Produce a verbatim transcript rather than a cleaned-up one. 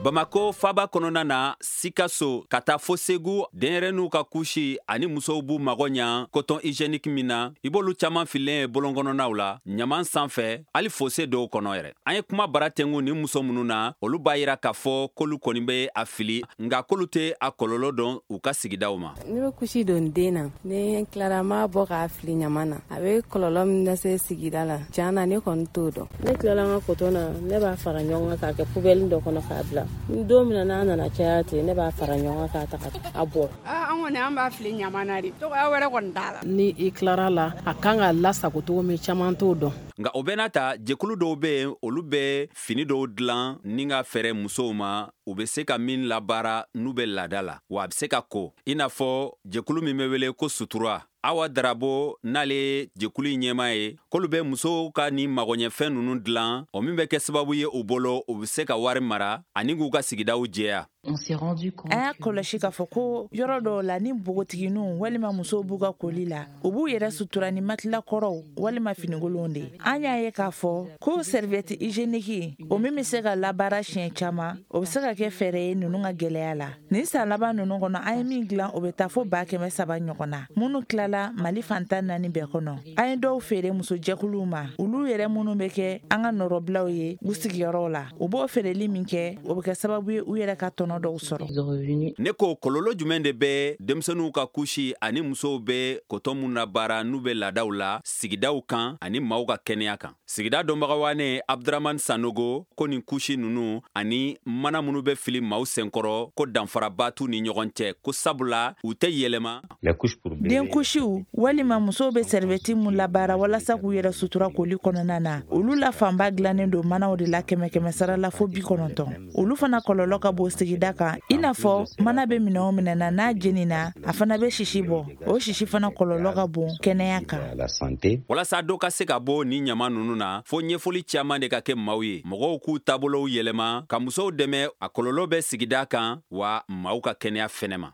Bamako faba kɔnɔna na, Sikaso ka taa fo Segu, denyɛrɛninw ka kusi ani musow b'u mago ɲa coton hygiénique min na, i b'olu caman fililen ye bolon kɔnɔnaw la, ɲaman sanfɛ, hali fosse dɔw kɔnɔ yɛrɛ. An ye kuma bara tengu ni muso minnu na, olu b'a yira k'a fɔ k'olu kɔni bɛ a fili, nka k'olu tɛ a kɔlɔlɔ dɔn u ka sigidaw ma. Ne bɛ kusi don den na, ni tilara n b'a bɔ k'a fili ɲaman na. A bɛ kɔlɔlɔ min lase sigida la, tiɲɛ na ne kɔni t'o dɔn. Ne tilala n ka coton na, ne b'a fara ɲɔgɔn kan k'a kɛ poubelle dɔ kɔnɔ k'a bila. Don min na n'a nana caya ten, ne b'a fara ɲɔgɔn kan k'a ta a bɔ. An kɔni an b'a fili ɲaman na de, tɔgɔya wɛrɛ kɔni t'a la. Ni i tilara la, a kan ka lasago cogo min, caman t'o dɔn. Nka o bɛɛ n'a ta, jɛkulu dɔw bɛ yen, olu bɛ fini dɔw dilan ni ka fɛɛrɛ musow ma, u bɛ se ka min labaara n'u bɛ laada la, wa a bɛ se ka ko, i n'a fɔ jɛkulu min bɛ wele ko Sutura. Awa Darabo n'ale jɛkulu in ɲɛmaa ye, k'olu bɛ musow ka nin magoɲɛfɛn ninnu dilan, o min bɛ kɛ sababu ye u bolo, u bɛ se ka wari mara ani k'u ka sigidaw jɛya. An y'a kɔlɔsi k'a fɔ ko yɔrɔ dɔw la, ni npogotigininw walima musow b'u ka koli la, u b'u yɛrɛ sutura ni matelas kɔrɔw walima finikolonw de ye. An y'a ye k'a fɔ ko serviette hygiénique, o min bɛ se ka labaara siɲɛ caman, o bɛ se ka kɛ fɛɛrɛ ye ninnu ka gɛlɛya la. Nin san laban ninnu kɔnɔ, an ye min dilan, o bɛ taa fo ba kɛmɛ saba ɲɔgɔn na, minnu tilala Mali fantan naani bɛɛ kɔnɔ. An ye dɔw feere musojɛkuluw ma, olu yɛrɛ minnu bɛ kɛ an ka nɔrɔbilaw ye u sigiyɔrɔw la. U b'o feereli min kɛ, o bɛ kɛ sababu ye u yɛrɛ ka tɔnɔ dɔw sɔrɔ. Ne ko kɔlɔlɔ jumɛn de bɛ denmisɛnninw ka kusi ani musow bɛ coton mun labaara n'u bɛ laadaw la sigidaw kan ani maaw ka kɛnɛya kan? Sigida dɔnbagawane Abdramane Sanogo ko nin kusi ninnu ani mana minnu bɛ fili maaw senkɔrɔ, ko danfaraba t'u ni ɲɔgɔn cɛ, ko sabula u tɛ yɛlɛma. Den kusiw walima musow bɛ serviette mun labaara walasa k'u yɛrɛ sutura koli kɔnɔna na, olu la fanba dilannen don manaw de la kɛmɛ kɛmɛ sara la fo bi kɔnɔntɔn. Olu fana kɔlɔlɔ ka bon sigida kan, i n'a fɔ mana bɛ minɛn o minɛn na, n'a jenina, a fana bɛ sisi bɔ. O sisi fana kɔlɔlɔ ka bon kɛnɛya kan. Walasa dɔ ka se ka bɔ ni ɲama ninnu na, fo ɲɛfɔli caman de ka kɛ maaw ye, mɔgɔw k'u taabolow yɛlɛma ka musow dɛmɛ. A kɔlɔlɔ bɛ sigida kan wa maaw ka kɛnɛya fɛnɛ ma.